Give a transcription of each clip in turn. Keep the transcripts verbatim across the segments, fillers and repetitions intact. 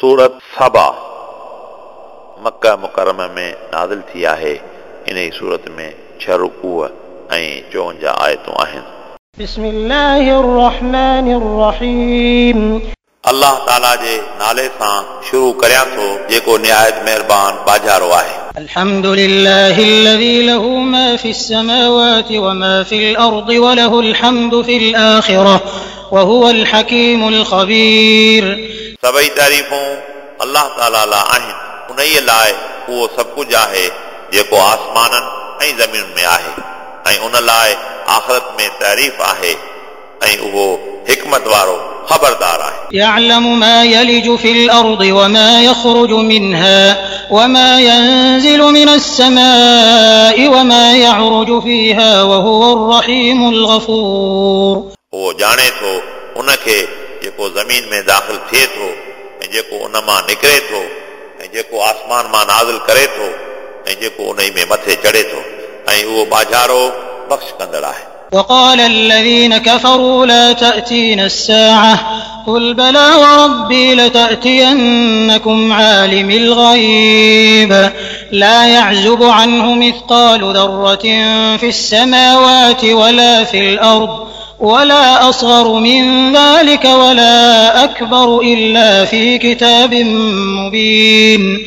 सूरत सबा मक्का मुकर्रमा में नाज़िल थी आहे। इन सूरत में छह रुकूअ ऐं चोवंजाह आयतूं आहिनि। बिस्मिल्लाहिर रहमानिर रहीम। अल्लाह ताला जे नाले सां शुरू करियां थो जेको निहायत मेहरबान बाजारो आहे। अल्हम्दुलिल्लाहिल्लज़ी लहू मा फ़िस समावाति व मा फ़िल अर्दि व लहुल हम्दु फ़िल आखिरह व हुवल हकीमुल ख़बीर। सभई तारीफ़ूं अल्लाह ताला लाइ आहिनि, उन्हीअ लाइ उहो सभु कुझु आहे जेको आसमाननि ऐं ज़मीनुनि में आहे, ऐं उन लाइ आख़िरत में तारीफ़ आहे, ऐं उहो हिकमत वारो ख़बरदार आहे। यअलमु मा यलिजु फ़िल अर्दि व मा यख़रुजु मिन्हा व मा यंज़िलु मिनस समाइ व मा यअरुजु फ़ीहा व हुवर रहीमुल गफ़ूर। उहो ॼाणे थो उनखे जेको ज़मीन में दाख़िल थिए थो ऐं जेको उन मां निकिरे थो ऐं जेको आसमान मां नाज़िल करे थो ऐं जेको उन में मथे चढ़े थो, ऐं उहो बाजारो बख़्श कंदड़ आहे। وقال الذين كفروا لا تأتينا الساعة قل بلى وربي لتأتينكم عالم الغيب لا يعزب عنه مثقال ذرة في السماوات ولا في الأرض ولا أصغر من ذلك ولا أكبر إلا في كتاب مبين.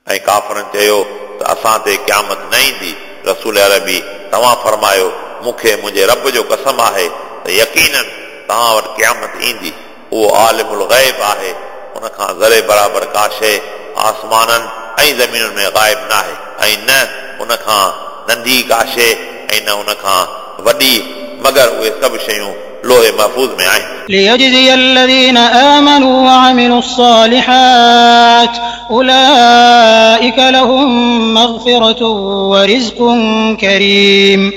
ऐं काफ़रनि चयो त असां ते क़यामत न ईंदी। रसूल अरबी तव्हां फरमायो मूंखे मुंहिंजे रब जो कसम आहे त यकीनन तव्हां वटि क़यामत ईंदी। उहो आलिमुल ग़ैब आहे, उन खां ज़रे बराबरि का शइ आसमाननि ऐं ज़मीनुनि में ग़ाइब न आहे, ऐं न उन खां नंढी का शइ ऐं न उन खां वॾी, मगर उहे सभु शयूं लोहे महफ़ूज़ में आहिनि। लियजज़िय الذين آمنوا وعملوا الصالحات أولئك لهم مغفرة ورزق كريم.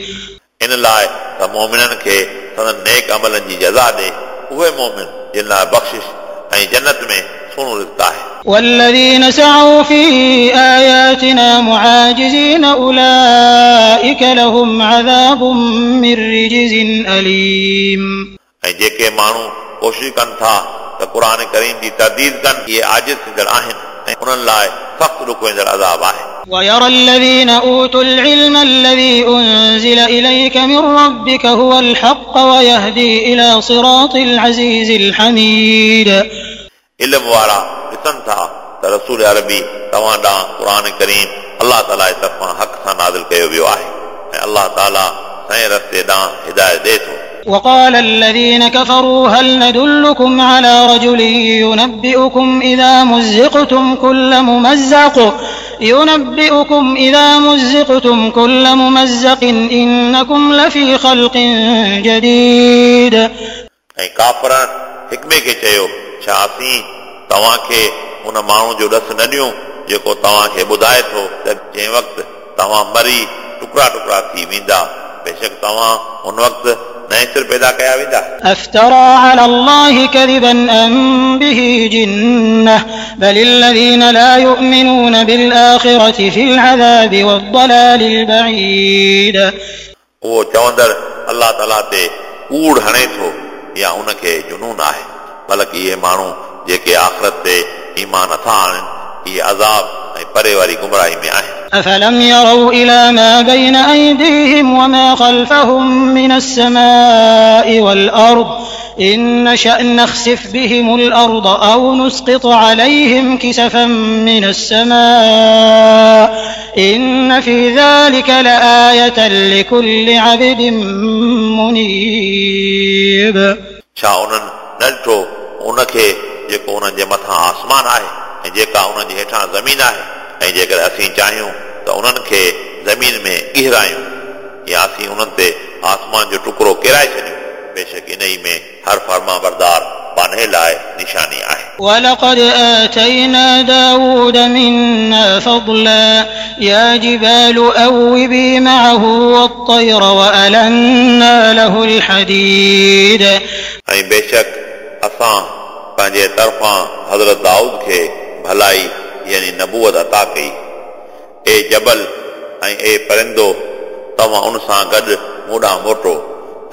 इन लाइ त मोमिननि खे संदन नेक अमलनि जी जज़ा ॾे, उहे मोमिन जिन लाइ बख़्शिश ऐं जन्नत में सुहिणो रिज़्क आहे। والذين سعوا في آياتنا معاجزين أولئك لهم عذاب من رجز أليم. ऐं जेके माण्हू कोशिश कनि था त क़ुर करीम जी तरदीद कनि, इहे आजिज़ थींदड़ आहिनि ऐं उन्हनि लाइ सख़्तु ॾुखोईंदड़ अज़ाब आहे। ويرى الذين أوتوا العلم الذي أنزل إليك من ربك هو الحق ويهدي إلى صراط العزيز الحميد. इल्म वारा ॾिसनि था त रसूल अरबी तव्हां ॾांहुं क़ुर करीम अल्लाह ताला जे तरफ़ां हक़ सां नाज़िल कयो वियो आहे, ऐं अल्लाह ताला सही रस्ते ॾांहुं हिदायत ॾिए थो। وقال الذين كفروا هل ندلكم على رجل ينبئكم إذا مزقتم كل ممزق ينبئكم إذا مزقتم كل ممزق إنكم لفي خلق جديد. ऐं काफ़रनि हिक ॿिए खे चयो, छा असीं तव्हांखे उन माण्हू जो ॾस न ॾियूं जेको तव्हांखे ॿुधाए थो त जंहिं वक़्तु तव्हां मरी टुकड़ा टुकड़ा थी वेंदा, बेशक तव्हां उन वक़्तु नए सिर पैदा कया वेंदा। अफ्तरा अला अल्लाहि कज़िबन अम बिही जिन्नह बल الذين لا يؤمنون بالآخرة في العذاب والضلال البعيد. उहो चवंदड़ अल्लाह ताला ते कूड़ हणे थो या उनखे जुनून आहे, बल्कि इहे माण्हू जेके आख़िरत ते ईमान नथा आणनि, इहे अज़ाब ऐं परे वारी गुमराही में आहिनि। أفلم يروا إلى ما بين أيديهم وما خلفهم من السماء والأرض إن نشأ نخسف بهم الأرض أو نسقط عليهم كسفا من السماء إن في ذلك لآية لكل عبد منيب. छा उन्हनि न ॾिठो उनखे जेको उन्हनि जे मथां आसमान आहे ऐं जेका उन्हनि जे हेठां ज़मीन आहे, ऐं जेकॾहिं असीं चाहियूं त उन्हनि खे ज़मीन में गिरायूं या असीं उन्हनि ते आसमान जो टुकड़ो किराए छॾियूं, बेशक इन ई में हर फर्मा बरदार बान्हे लाइ निशानी आहे। ولقد آتينا داود منا فضلا يا جبال أوبي معه والطير وألنا له الحديد. ऐं बेशक असां पंहिंजे तरफ़ां हज़रत दाऊद खे भलाई यानी नबूवत अता कई। ए जबल ऐं ए परिंदो, तव्हां उन सां गॾु मूं ॾांहुं मोटो,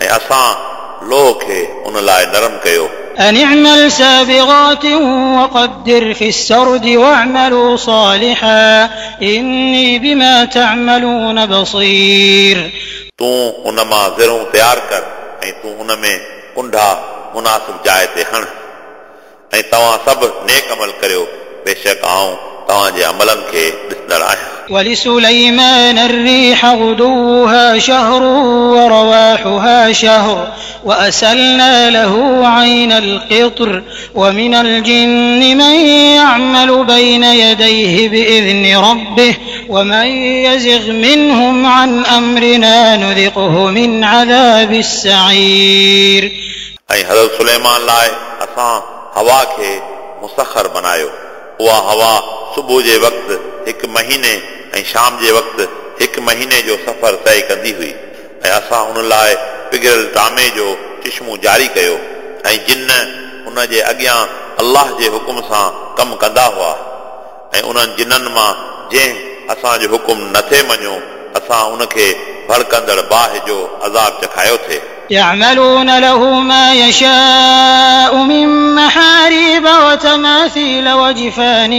ऐं असां लोह खे उन लाइ नरम कयो। أن اعمل سابغات وقدر في السرد واعملوا صالحا إني بما تعملون بصير. तूं उन मां ज़िरूं तयार कर ऐं तूं उन में कुंढा मुनासिब जाइ ते हण ऐं तव्हां सभु नेक अमल करियो, बेशक आउं तव्हांजे अमलनि खे ॾिसंदड़ आहियां। ولسليمان الريح غدوها شهر ورواحها شهر وأسلنا له عين القطر ومن الجن من يعمل بين يديه بإذن ربه ومن يزغ منهم عن أمرنا نذقه من عذاب السعير. ऐं हज़रत सुलेमान लाइ असां हवा खे मुसखर बनायो। उहा हवा सुबुह जे वक़्तु हिकु महीने ऐं शाम जे वक़्तु हिकु महीने जो सफ़र तय कंदी हुई ऐं असां उन लाइ पिघिरियल तामे जो चिश्मो जारी कयो ऐं जिन उन जे अॻियां अल्लाह जे हुकुम सां कमु कंदा हुआ ऐं उन्हनि जिननि मां जंहिं असांजो हुकुम नथे मञियो असां उनखे भड़कंदड़ बाहि जो अज़ाब चखायो थे। يعملون له ما يشاء من محاريب وتماثيل وجفان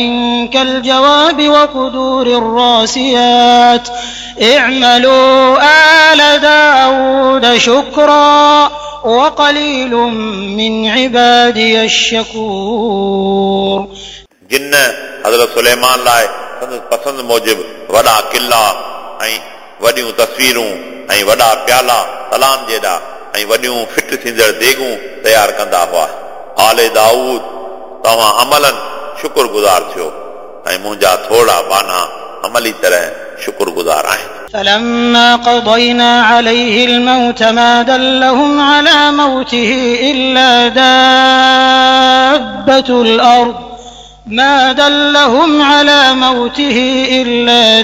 كالجواب وقدور الراسيات اعملوا آل داود شكرا وقليل من عبادي الشكور. जिन हज़रत सुलेमान लाइ संदसि पसंदि मूजिबि वॾा किला ऐं वॾियूं तस्वीरूं ऐं वॾा प्याला तलाम जेॾा ऐं वॾियूं फिट थींदड़ देगूं तयार कंदा हुआ। आले दाऊद तव्हां अमलनि शुक्रगुज़ार थियो ऐं मुंहिंजा थोरा बाना अमली तरह शुक्रगुज़ार आहिनि। فلما قضينا عليه الموت ما دلهم على موته إلا دابة الأرض ما دلهم على موته إلا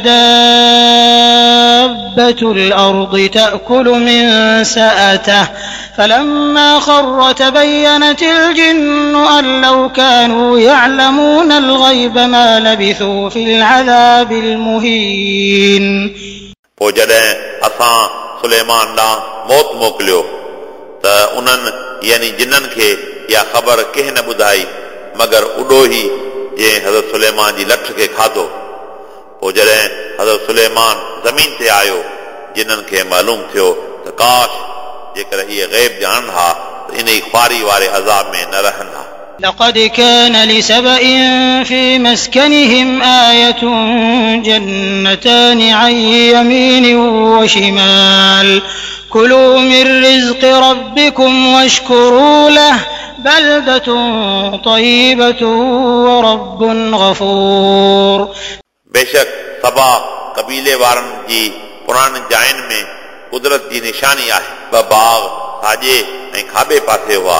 دابة الأرض تأكل من سأته فلما خر تبينت الجن أن لو كانوا يعلمون الغيب ما لبثوا في العذاب المهين. पोइ जॾहिं असां सुलेमान ॾांहुं मौत मोकिलियो त उन्हनि यानी जिन्ननि खे इहा ख़बर कंहिं न ॿुधाई मगर उॾोही जंहिं हज़रत सुलेमान जी लठ खे खाधो। पोइ जॾहिं हज़रत सुलेमान ज़मीन ते आयो जिन्ननि खे मालूम थियो त काश जेकर इहे ग़ैब ॼाणनि हा त इन ई ख़्वारी वारे अज़ाब में न रहनि हा। لقد كان لسبإ في مسكنهم آية جنتان عن يمين وشمال كلوا من رزق ربكم واشكروا له بلدة طيبة ورب غفور. बेशक सबा कबीले वारनि जी पुराणी जाइनि में कुदरत जी निशानी आहे। ॿ बाग़ साॼे ऐं खाॿे पासे हुआ।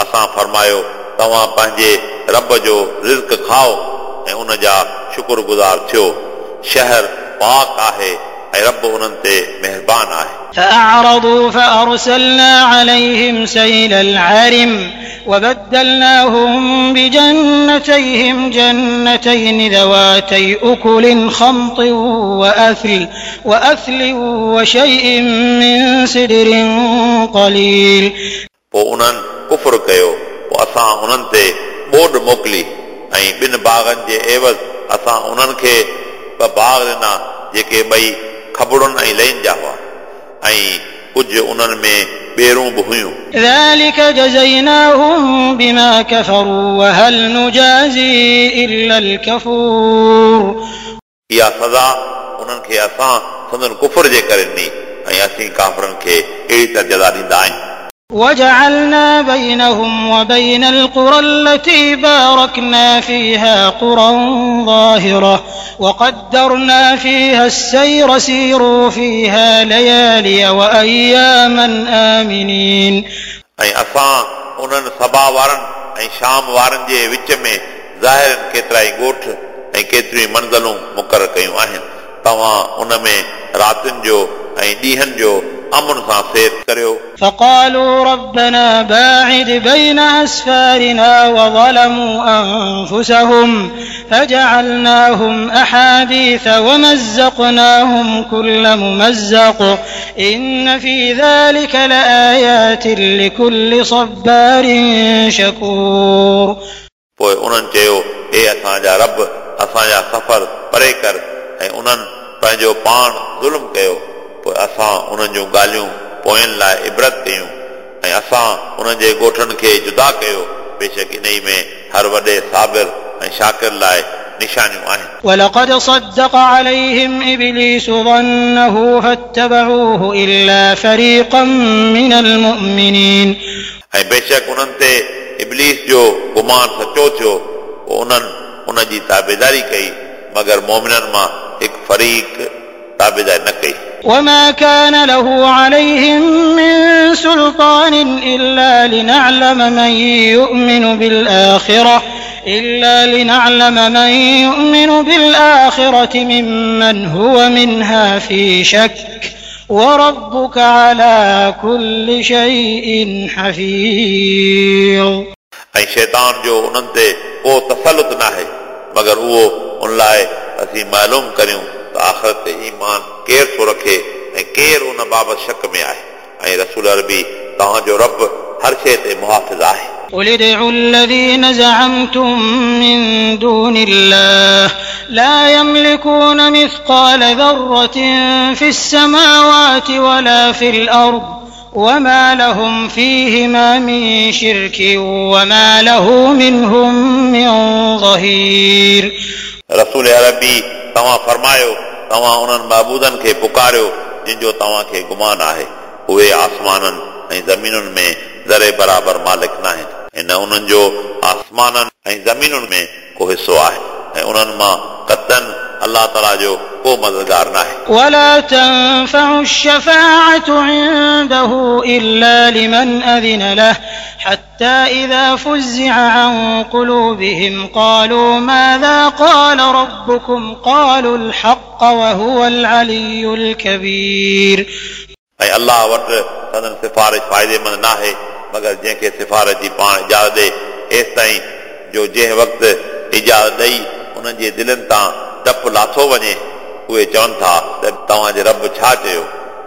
असां फरमायो तव्हां पंहिंजे रब जो रिज़्क खाओ ऐं उन जा शुक्रगुज़ार थियो। शहर पाक आहे ऐं रब उन्हनि ते महिरबान आहे। فأعرضوا فأرسلنا عليهم سيل العرم وبدلناهم بجنتيهم جنتين ذواتي أكل خمط وأثل وأثل وشيء من سدر قليل. पोइ उन्हनि कुफुर कयो, पोइ असां उन्हनि ते ॿोॾ मोकिली ऐं ॿिनि बाग़नि जे एवज़ असां उन्हनि खे ॿ बाग़ ॾिना जेके ॿई खबड़ुनि ऐं लइन जा हुआ ऐं कुझु उन्हनि में ॿेरूं बि हुयूं। ذلك جزيناهم بما كفروا وهل نجازي إلا الكفور. इहा सज़ा उन्हनि खे असां संदन कुफुर जे करे ॾिनी ऐं असीं काफ़रनि खे अहिड़ी तरह जज़ा ॾींदा आहियूं। وجعلنا بينهم وبين القرى التي باركنا فيها قرى ظاهرة وقدرنا فيها السير سيروا فيها ليالي وأياما آمنين. ऐं असां उन्हनि सबा वारनि ऐं शाम वारनि जे विच में ज़ाहिर केतिरा ई ॻोठ ऐं केतिरियूं ई मंज़िलूं मुक़ररु कयूं आहिनि। तव्हां उन में रातियुनि जो ऐं ॾींहंनि जो अमन सां सैर करियो। فقالوا ربنا باعد بين أسفارنا وظلموا أنفسهم فجعلناهم أحاديث ومزقناهم كل ممزق إن في ذلك لآيات لكل صبار شكور। पोइ उन्हनि चयो, हे असांजा रब, असांजा सफ़र परे कर। ऐं उन्हनि पंहिंजो पाण ज़ुल्म कयो, पोइ असां उन्हनि जूं ॻाल्हियूं पोयनि लाइ इबरत कयूं ऐं असां उन्हनि जे ॻोठनि खे जुदा कयो। बेशक इन में हर वॾे साबिर ऐं शाकिर लाइ निशानियूं आहिनि। ولقد صدق عليهم إبليس ظنه فاتبعوه إلا فريقا من المؤمنين। ऐं बेशक उन्हनि ते इबलीस जो गुमान सचो थियो, पोइ उन्हनि उन जी ताबेदारी कई, मगर मोमिननि मां हिकु फरीक ताबेदारी न कई। وما كان له عليهم من سلطان إلا لنعلم من يؤمن بالآخرة إلا لنعلم من يؤمن بالآخرة ممن هو منها في شك وربك على كل شيء حفيظ। ऐं शैतान जो उन्हनि ते को तसलुत न आहे, मगर उहो उन लाइ असीं मालूम करियूं त आख़िरत ते ईमान केरु थो रखे ऐं केरु उन बाबति शक में आहे। ऐं रसूल अरबी, तव्हांजो रब हर शइ ते मुहाफ़िज़ आहे। قل ادعوا الذين زعمتم من دون الله لا يملكون مثقال ذرة في السماوات ولا في الأرض وما لهم فيهما من شرك وما له منهم من ظهير। रसूल अरबी, तव्हां फरमायो, तव्हां उन्हनि महबूदनि खे पुकारियो जिन जो तव्हांखे गुमान आहे, उहे आसमाननि ऐं ज़मीनुनि में ज़रे बराबरि मालिक न आहिनि ऐं न उन्हनि जो आसमाननि ऐं ज़मीनुनि में को हिसो आहे ऐं उन्हनि मां कतन अलाह ताला जो को मददगार न आहे। ولا تنفع الشفاعة عنده إلا لمن أذن له حتى إذا فزع عن قلوبهم قالوا ماذا قال ربكم قالوا الحق وهو العلي الكبير। ऐं अलाह वटि संदन सिफारिश फ़ाइदेमंद न आहे, मगर जंहिंखे सिफारिश जी पाण इजाज़त ॾे, एसि ताईं जो जंहिं वक़्तु इजाज़त ॾेई उन्हनि जे दिलनि तां डपु लाथो वञे, उहे चवनि था त तव्हांजे रब छा चयो?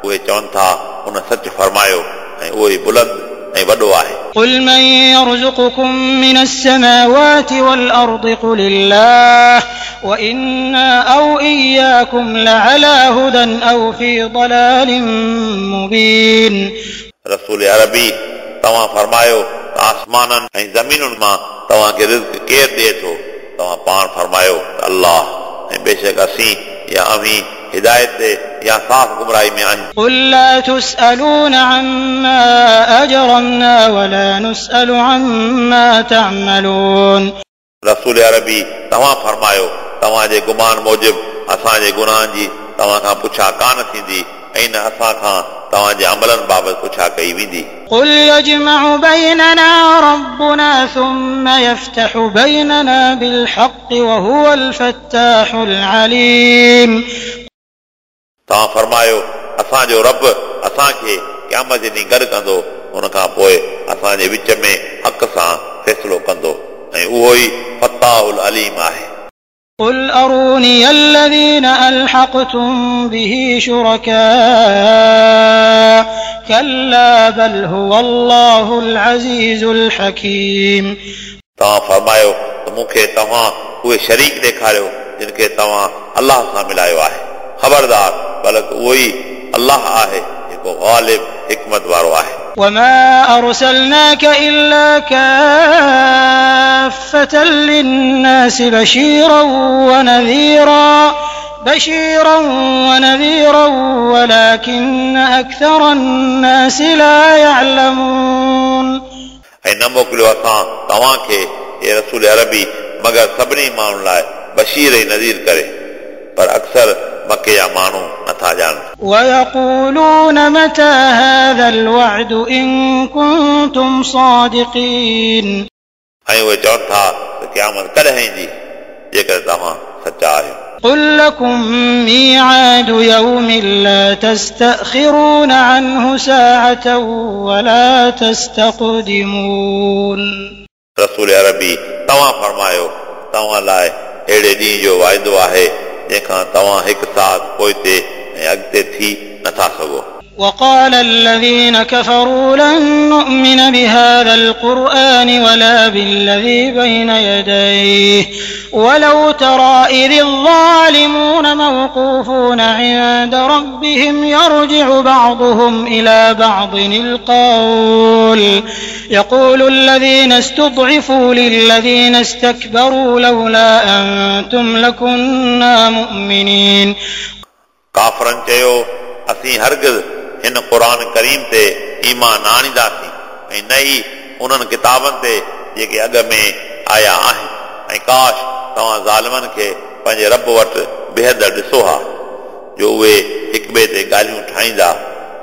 उहे चवनि था उन सच फरमायो ऐं उहो ई बुलंद ऐं वॾो आहे। قل من يرزقكم من السماوات والأرض قل الله وإنا أو إياكم لعلى هدى أو في ضلال مبين। रसूल अरबी, तव्हां फरमायो त आसमाननि ऐं ज़मीनुनि मां तव्हांखे रिज़्क केरु ॾिए थो? तव्हां पाण फरमायो त अलाह, ऐं बेशक असीं या अव्हीं हिदायत ते या साफ़ गुमराही में आहियूं। قل لا تسألون عما أجرمنا ولا نسأل عما تعملون। रसूल अरबी, तव्हां फरमायो, तव्हांजे गुमान मूजिबि असांजे गुनाहनि जी तव्हां खां पुछा कान थींदी ऐं न असां खां तव्हांजे अमलनि बाबति पुछा कई वेंदी। قل يجمع بيننا ربنا ثم يفتح بيننا بالحق وهو الفتاح العليم। तव्हां फरमायो, असांजो रब असांखे क़यामत जे ॾींहुं गॾु कंदो, उन खां पोइ असांजे विच में हक़ सां फ़ैसिलो कंदो ऐं उहो ई फत्ताहुल अलीम आहे। قل أروني الذين ألحقتم به شركاء كلا بل هو الله العزيز الحكيم। तव्हां फरमायो त मूंखे तव्हां उहे शरीक ॾेखारियो जिन खे तव्हां अलाह सां मिलायो आहे। ख़बरदार, बल्कि उहो ई अलाह आहे जेको ग़ालिब हिकमत वारो आहे। وما أرسلناك إلا كافة للناس بشيرا ونذيرا بشيرا ونذيرا ولكن أكثر الناس لا يعلمون. ऐं न मोकिलियो असां तव्हांखे हे रसूल अरबी मगर सभिनी माण्हुनि लाइ बशीर ऐं नज़ीर करे, पर अक्सर मके जा माण्हू नथा ॼाणनि। ويقولون متى هذا الوعد إن كنتم صادقين. ऐं उहे चवनि था त क़यामत कॾहिं ईंदी जेकर तव्हां सचा आहियो। قل لكم ميعاد يوم لا تستأخرون عنه ساعة ولا تستقدمون. रसूल अरबी तव्हां फरमायो तव्हां लाइ अहिड़े ॾींहं जो वाइदो आहे जंहिंखां तव्हां हिकु साथ पोइते ऐं अॻिते थी नथा सघो। وقال الذين كفروا لن نؤمن بهذا القرآن ولا بالذي بين يديه ولو ترى إذ الظالمون موقوفون عند ربهم يرجع بعضهم إلى بعض القول يقول الذين استضعفوا للذين استكبروا لولا أنتم لكنا مؤمنين. काफ़रनि चयो असीं हरगिज़ हिन क़ुर करीम ते ईमान न आणींदासीं ऐं न ई उन्हनि किताबनि ते जेके अॻ में आया आहिनि ऐं काश तव्हां ज़ालिमनि खे पंहिंजे रब वटि बेहद ॾिसो हा जो उहे हिक ॿिए ते ॻाल्हियूं ठाहींदा।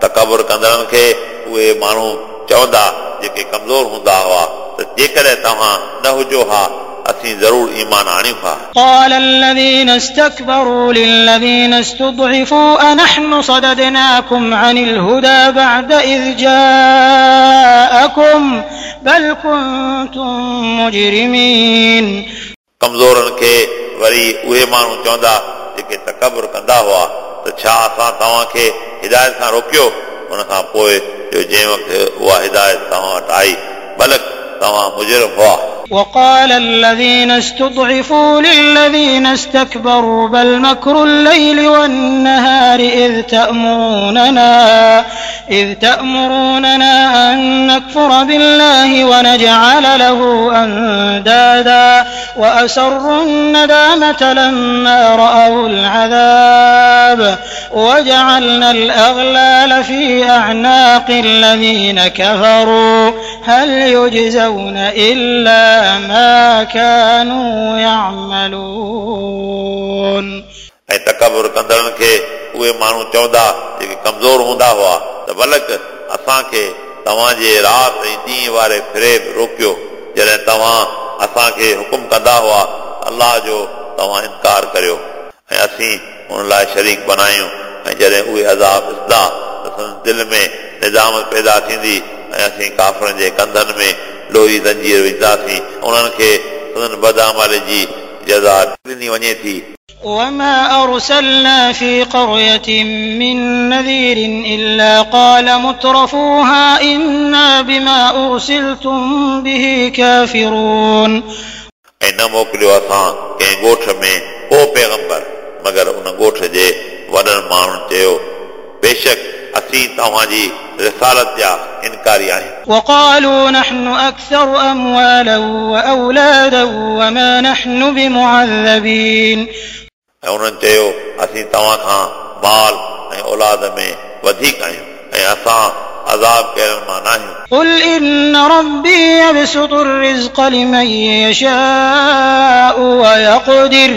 तकबुर कंदड़नि खे उहे माण्हू चवंदा जेके कमज़ोर हूंदा हुआ त जेकॾहिं तव्हां न हुजो हा असीं ज़रूर ईमान आणियूं हा। قال الذين استكبروا للذين استضعفوا أنحن صددناكم عن الهدى بعد إذ جاءكم بل كنتم مجرمين. कमज़ोरनि खे वरी उहे माण्हू चवंदा जेके तकबुर कंदा हुआ त छा असां तव्हांखे हिदायत खां रोकियो उन खां पोइ जो जंहिं वक़्तु उहा हिदायत तव्हां वटि आई बल्कि तव्हां मुजरिम हुआ। وقال الذين استضعفوا للذين استكبروا بل مكر الليل والنهار إذ تأمروننا إذ تأمروننا أن نكفر بالله ونجعل له أندادا وأسروا الندامة لما رأوا العذاب وجعلنا الأغلال في أعناق الذين كفروا هل يجزون إلا ما كانوا يعملون. ऐं तकबुर कंदड़नि खे उहे माण्हू चवंदा जेके कमज़ोर हूंदा हुआ त बल्कि असांखे तव्हांजे राति ऐं ॾींहं वारे फ़रेब रोकियो जॾहिं तव्हां असांखे हुकुम कंदा हुआ अलाह जो तव्हां इनकार करियो ऐं असीं उन लाइ शरीक बनायूं ऐं जॾहिं उहे अज़ाब ॾिसंदा त संदन दिलि में निज़ामत पैदा थींदी ऐं असीं काफ़रनि जे कंधनि में लोही ज़ंजीर विझंदासीं उन्हनि खे संदन बदआमाली जी जज़ा ॾिनी वञे थी। وما أرسلنا في قرية من نذير إلا قال مترفوها إنا بما أرسلتم به كافرون. ऐं न मोकिलियो असां कंहिं ॻोठ में को पैगंबर मगर उन ॻोठ जे वॾनि माण्हुनि चयो बेशक असीं तव्हांजी रिसालत जा इनकारी आहियूं। وقالوا نحن أكثر أموالا وأولادا وما نحن بمعذبين. ऐं उन्हनि चयो असीं तव्हां खां माल ऐं औलाद में वधीक आहियूं ऐं असां अज़ाब कयलनि मां न आहियूं। قل إن ربي يبسط الرزق لمن يشاء ويقدر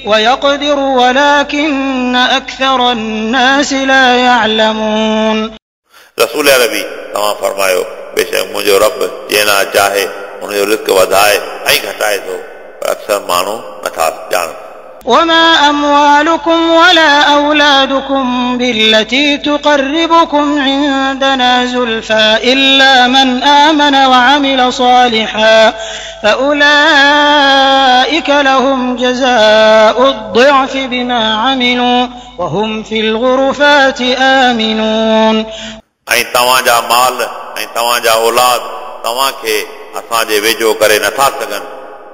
ويقدر ولكن أكثر الناس لا يعلمون. रसूल अरबी तव्हां फरमायो बेशक मुंहिंजो रब जंहिं लाइ चाहे उनजो रिज़्क वधाए ऐं घटाए थो पर अक्सर माण्हू नथा ॼाणनि। وما أموالكم ولا أولادكم بالتي تقربكم عندنا زلفى إلا من آمن وعمل صالحا فأولئك لهم جزاء الضعف بما عملوا وهم في الغرفات آمنون. ऐं तव्हांजा माल ऐं तव्हांजा औलाद तव्हांखे असांजे वेझो करे नथा सघनि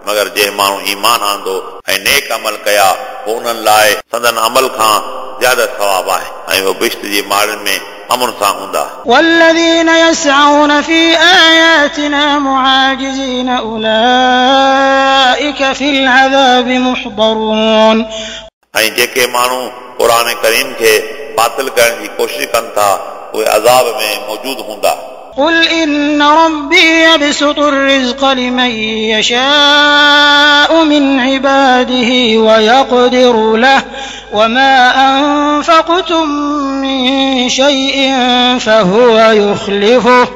मगर जंहिं माण्हू ईमान आंदो ऐं नेक अमल कया पोइ उन्हनि लाइ संदन अमल खां ज़्यादा सवाब आहे ऐं उहे बिश्त जी माड़नि में अमन सां हूंदा। والذين يسعون في آياتنا معاجزين أولئك في العذاب محضرون. ऐं जेके माण्हू क़ुर करीम खे बातिल करण जी कोशिश कनि था उहे अज़ाब में मौजूद हूंदा। قل إن ربي يبسط الرزق لمن يشاء من عباده ويقدر له وما أنفقتم من شيء فهو يخلفه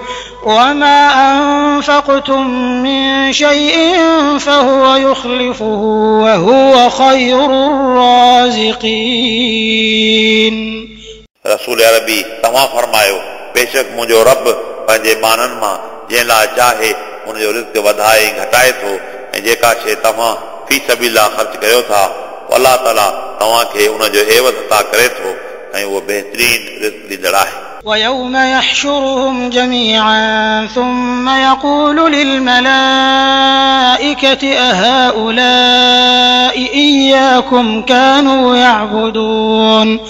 وما أنفقتم من شيء فهو يخلفه وهو خير الرازقين. रसूल अरबी तव्हां फरमायो, बेशक मुंहिंजो रब पंहिंजे ॿान्हनि मां जंहिं लाइ चाहे उनजो रिज़्क वधाए ऐं घटाए थो, ऐं जेका शइ तव्हां फी सबीला ख़र्च कयो था अल्लाह ताला तव्हांखे उनजो एवज़ अता करे थो ऐं उहो बहितरीन रिज़्क ॾींदड़ आहे. ويوم يحشرهم جميعا ثم يقول للملائكة أهؤلاء إياكم كانوا يعبدون.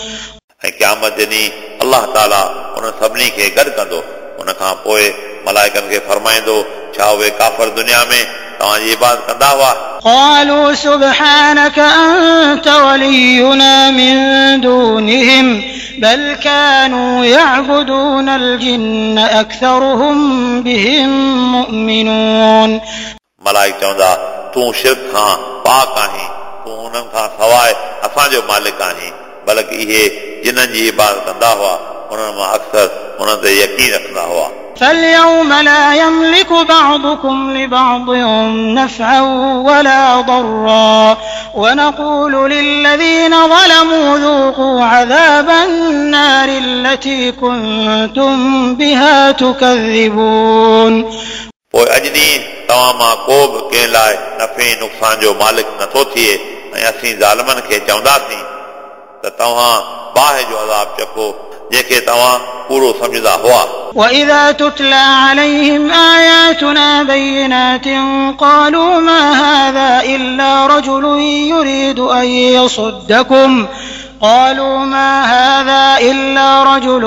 ऐं क़यामत जे ॾींहुं अल्लाह ताला उन सभिनी खे गॾु कंदो, उन खां पोइ मलाइकनि खे फरमाईंदो, छा उहे काफ़र दुनिया में तव्हांजी इबादत कंदा हुआ? قالوا سبحانك أنت ولينا من دونهم بل كانوا يعبدون الجن أكثرهم بهم مؤمنون. मलाइक चवंदा, तूं शिर्क खां पाक आहीं, तूं उन्हनि खां सवाइ असांजो मालिक आहीं, बल्कि इहे जिन्हनि जी इबादत कंदा हुआ उन्हनि मां अक्सर उन्हनि ते यकीन रखंदा हुआ. فاليوم لا يملك بعضكم لبعض نفعا ولا ضرا ونقول للذين ظلموا ذوقوا عذاب النار التي كنتم بها تكذبون. पोइ अॼु ॾींहुं तव्हां मां को बि कंहिं लाइ नफ़े नुक़सान जो मालिक नथो थिए, ऐं असीं ज़ालिमनि खे चवंदासीं त तव्हां बाहि जो अज़ाब चखो जंहिंखे तव्हां कूड़ो सम्झंदा हुआ. وإذا تتلى عليهم آياتنا بينات قالوا ما هذا إلا رجل يريد أن يصدكم قالوا ما هذا إلا رجل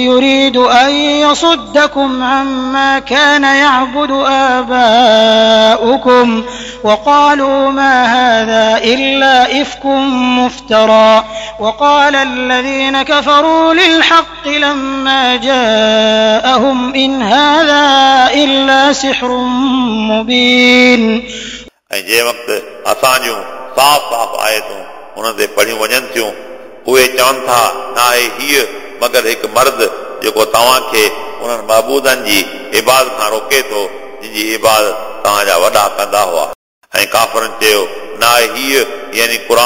يريد أن يصدكم عما كان يعبد آباؤكم وقالوا ما هذا إلا إفك مفترى وقال الذين كفروا للحق لما جاءهم إن هذا إلا سحر مبين. ऐं जंहिं वक़्तु असांजूं साफ़ साफ़ आयतूं उन्हनि ते पढ़ियूं वञनि थियूं, उहे चवनि था, नाहे हीअ मगर हिकु मर्द जेको तव्हांखे उन्हनि महबूदनि जी इबादत खां रोके थो जिन जी इबादत तव्हांजा वॾा कंदा हुआ. ऐं काफ़रनि चयो, नाहे हीअ यानी क़ुर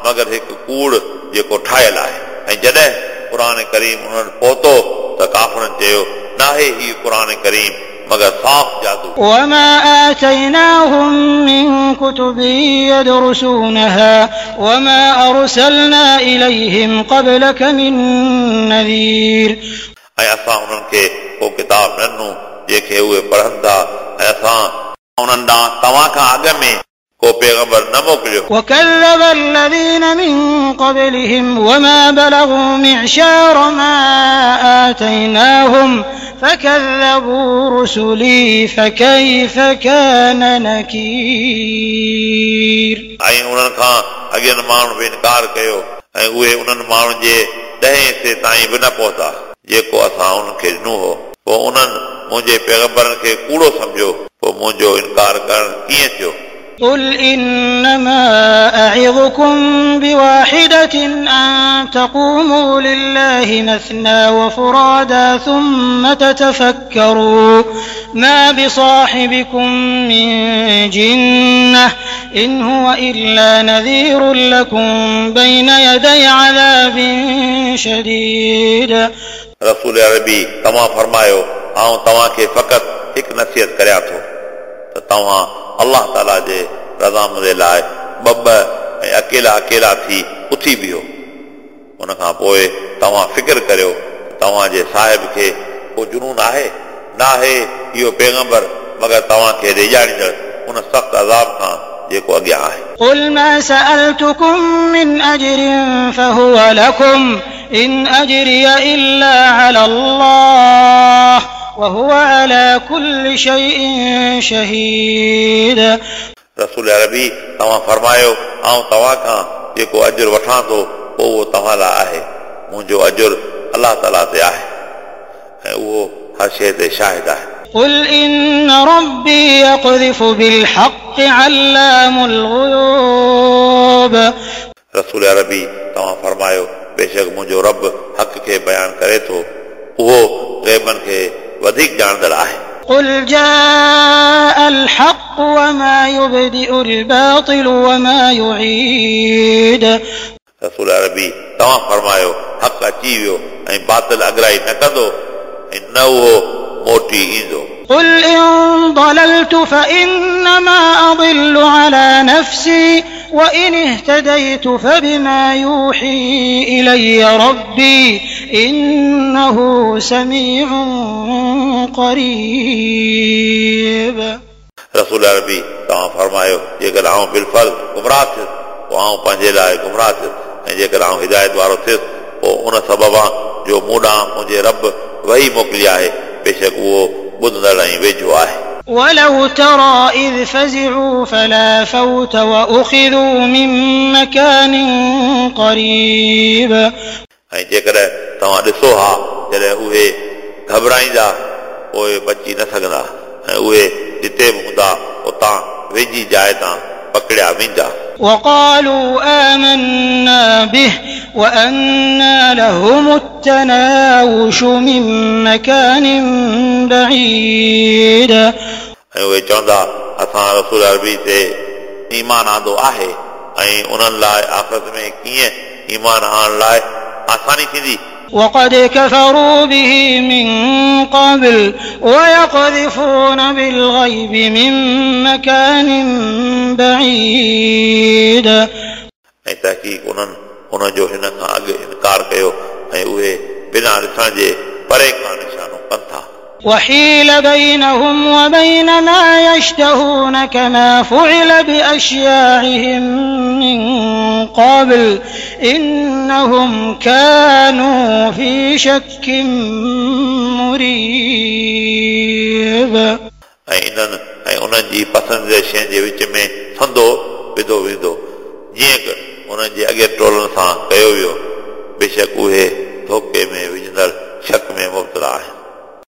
मगर हिकु कूड़ जेको ठाहियल आहे. ऐं जॾहिं क़ुर करीम उन्हनि पहुतो त काफ़रनि चयो, नाहे हीअ क़ुर करीम मगर साफ़ जादू. وما آتيناهم من كتب يدرسونها وما أرسلنا إليهم قبلك من نذير. ऐं असां उन्हनि खे को किताब न ॾिनो जंहिंखे उहे पढ़नि था, ऐं असां उन्हनि ॾांहुं तव्हां खां अॻु में को पैगंबर न मोकिलियो. وكذب الذين من قبلهم وما بلغوا معشار ما آتيناهم فكذبوا رسلي فكيف كان نكير. ऐं उन्हनि खां अॻियनि माण्हुनि बि इनकार कयो, ऐं उहे उन्हनि माण्हुनि जे ॾहें हिसे ताईं बि न पहुता जेको असां उन्हनि खे ॾिनो हो. पोइ उन्हनि मुंहिंजे पैगंबरनि खे कूड़ो सम्झो, पोइ मुंहिंजो इनकार करणु कीअं थियो? قل إنما أعظكم بواحدة أن تقوموا لله مثنى وفرادا ثم تتفكروا ما بصاحبكم من جنة إن هو إلا نذير لكم بين يدي عذاب شديد. रसूल अरबी तव्हां फरमायो, आउं तव्हांखे फ़क़ति हिकु नसीहत करियां थो त तव्हां अल्लाह ताला जे रज़ामंदी लाइ ॿ ॿ ऐं अकेला अकेला थी उथी बीहो. उन खां पोइ तव्हां फ़िक्र करियो तव्हांजे साहिब खे को जुनून आहे? नाहे इहो पैगंबर मगर तव्हांखे रिॼारींदड़ उन सख़्तु अज़ाब खां जेको अॻियां आहे. قل ما سألتكم من أجر فهو لكم إن أجري إلا على الله وهو على كل شيء شهيد. रसूल अरबी तव्हां फरमायो, आउं तव्हां खां जेको अजुर वठां थो पोइ उहो तव्हां लाइ आहे, मुंहिंजो अजुर अल्लाह ताला ते आहे ऐं उहो हर शइ ते शाहिद आहे. قل إن ربي يقذف بالحق علام الغيوب. रसूल अरबी तव्हां फरमायो, बेशक मुंहिंजो रब हक़ खे बयानु करे थो, उहो ग़ैबनि खे वधीक ॼाणंदड़ आहे। قل جاء الحق وما يبدئ الباطل وما يعيد। रसूल अरबी तव्हां फरमायो हक़ अची वियो ऐं बातिल अगराई न कंदो ऐं न उहो मोटी ईंदो। قل إن ضللت فإنما أضل على نفسي وإن اهتديت فبما يوحي إلي ربي إنه سميع قريب। रसूल अरबी तव्हां फरमायो जेकर आउं बिलफर्ज़ गुमराह थियुसि पोइ आउं पंहिंजे लाइ गुमराह थियुसि ऐं जेकर आउं हिदायत वारो थियुसि पोइ उन सबबा जो मूं ॾांहुं मुंहिंजे रब वही मोकिली आहे, बेशक उहो ॿुधंदड़ ऐं वेझो आहे। ولو ترى إذ فزعوا فلا فوت وأخذوا من مكان قريب। ऐं जेकॾहिं तव्हां ॾिसो हा जॾहिं उहे घबराईंदा पोइ बची न सघंदा ऐं उहे जिते बि हूंदा उतां वेझी जाइ तां पकड़िया वेंदा। وقالوا آمنا به وأنى لهم التناوش من مكان بعيد। ऐं उहे चवंदा असां रसूल अरबी ते ईमान आंदो आहे ऐं उन्हनि लाइ आख़िरत में कीअं ईमान आणण लाइ आसानी थींदी। وقد كفروا به من قبل ويقذفون بالغيب من مكان بعيد। ऐं तहक़ीक़ उन्हनि उनजो हिन खां अॻु इनकार कयो ऐं उहे बिना ॾिसण जे परे खां निशानो कनि था। وحيل بينهم وبين ما يشتهون كما فعل بأشياعهم من قبل إنهم كانوا في شك مريب। ऐं इन्हनि ऐं उन्हनि जी पसंदि जे शयुनि जे विच में फंदो विधो वेंदो जीअं उन्हनि जे अॻे टोलनि सां कयो वियो, बेशक उहे धोखे में विझंदड़ शक में मुब्तला आहिनि।